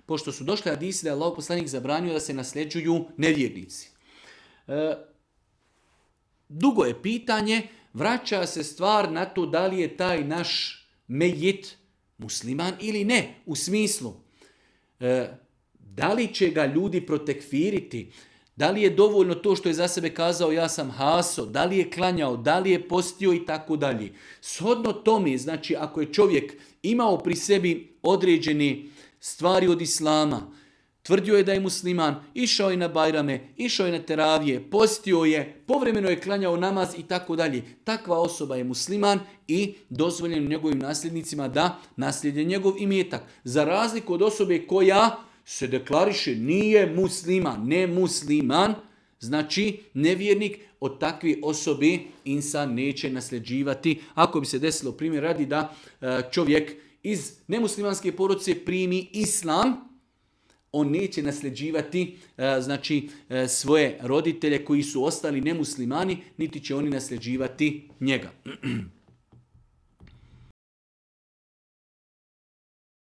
pošto su došli hadisi da je Allahov poslanik zabranio da se nasljeđuju nevjernici. Dugo je pitanje, vraća se stvar na to da li je taj naš mejit musliman ili ne, u smislu da li će ga ljudi protekfiriti, da li je dovoljno to što je za sebe kazao ja sam haso, da li je klanjao, da li je postio i tako dalje. Shodno tome, znači ako je čovjek imao pri sebi određene stvari od islama, tvrdio je da je musliman, išao je na bajrame, išao je na teravije, postio je, povremeno je klanjao namaz i tako dalje. Takva osoba je musliman i dozvoljeno njegovim nasljednicima da naslijede njegov imetak. Za razliku od osobe koja se deklariše nije musliman, ne musliman, znači nevjernik, od takve osobe insan neće nasljeđivati. Ako bi se desilo primjer radi da čovjek iz nemuslimanske porodice primi islam, on neće nasljeđivati znači, svoje roditelje koji su ostali nemuslimani, niti će oni nasljeđivati njega.